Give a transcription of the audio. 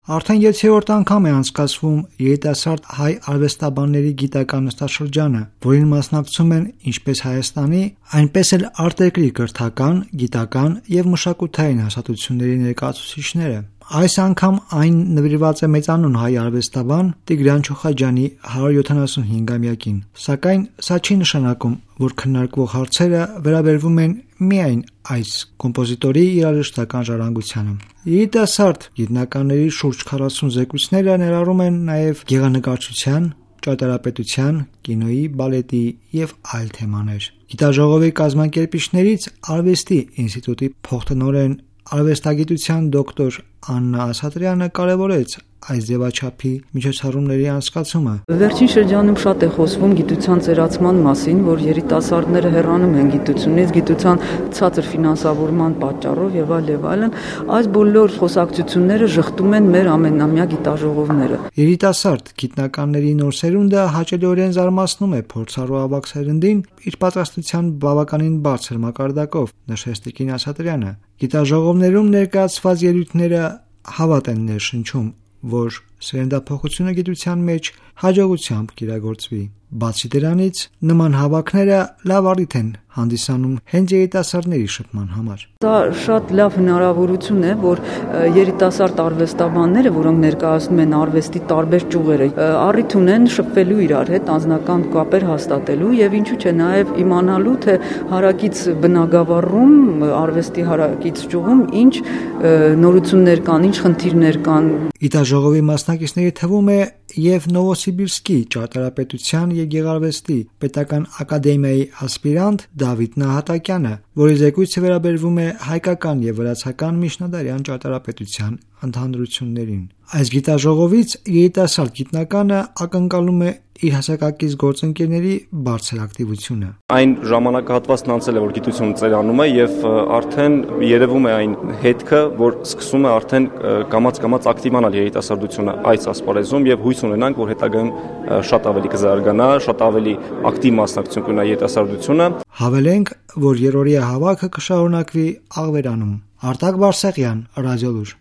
Արդեն 7-րդ անգամ է անցկացվում երիտասարդ հայ արվեստաբանների գիտական նստաշրջանը, որին մասնակցում են ինչպես Հայաստանի, այնպես էլ արտերկրի կրթական, գիտական եւ մշակութային հաստատությունների ներկայացուցիչները։ Այս անգամ այն նվիրված է մեծանուն հայ արվեստաբան Տիգրան Չոխաջյանի 175-ամյակին, սակայն սա չի նշանակում, որ քննարկվող հարցերը վերաբերվում են միայն այս կոմպոզիտորի երաժշտական ժառանգությանը։ Երիտասարդ գիտնականների շուրջ 40 զեկույցները ներառում են նաև գեղանկարչության, ճարտարապետության, կինոյի, բալետի եւ այլ թեմաներ։ Գիտաժողովի կազմակերպիչներից Արվեստի ինստիտուտի փոխտնօրեն արվեստագիտության դոկտոր Աննա Ասատրյանը կարևորեց այս ձևաչափի միջոցառումների անցկացումը։ Վերջին շրջանում շատ է խոսվում գիտության ծերացման մասին, որ երիտասարդները հեռանում են գիտությունից, գիտության ցածր ֆինանսավորման պատճառով եւ այլն։ Այս բոլոր խոսակցությունները շղթում են մեր ամենամյա գիտաժողովները։ Երիտասարդ գիտնականների նոր սերունդը հաճելիորեն զարմացնում է փորձառու ավագ սերնդին իր պատրաստության բավականին բարձր մակարդակով, նշեց Տիկին Ասատրյանը։ Գիտաժողովներում ներկայացված ելույթները հավատ են ներշնչում, որ սերնդափոխությունը գիտության մեջ հաջողությամբ կիրագործվի։ Բացի դրանից, նման հավաքները լավ առիթ են հանդիսանում հենց երիտասարդների շփման համար։ Դա շատ լավ հնարավորություն է, որ երիտասարդ արվեստաբանները, որոնք ներկայացնում են արվեստի տարբեր ճյուղերը, առիթ ունեն շփվելու իրար հետ, անձնական կապեր հաստատելու եւ ինչու՞ չէ նաեւ իմանալու, թե հարակից բնագավառում, արվեստի հարակից ճյուղում ինչ նորություններ կան, ինչ խնդիրներ կան։ Գիտաժողովի մասնակիցների թվում է եւ Նովոսիբիրսկի ճարտարապետության եւ գեղարվեստի պետական ակադեմիայի ասպիրանտ Դավիթ Նահատակյանը, որի զեկույցը վերաբերվում է հայկական եւ վրացական միջնադարյան ճարտարապետության ընդհանրություններին։ Այս գիտաժողովից երիտասարդ գիտնականը ակնկալում է իր հասակակից գործընկերների բարձր ակտիվությունը։ Այն ժամանակահատվածն անցել է, որ գիտությունը ծերանում է եւ արդեն երևում է այն հետքը, որ սկսում է արդեն կամաց ակտիվանալ երիտասարդությունը այս ասպարեզում եւ հույս ունենանք, որ հետագայում շատ ավելի կզարգանա, շատ ավելի ակտիվ մասնակցություն կունենա երիտասարդությունը։ Հավելենք, որ երրորդյա հավաքը կշարունակվի Աղվերանում։ Արտակ Բարսեղյան, Ռադիոլուր։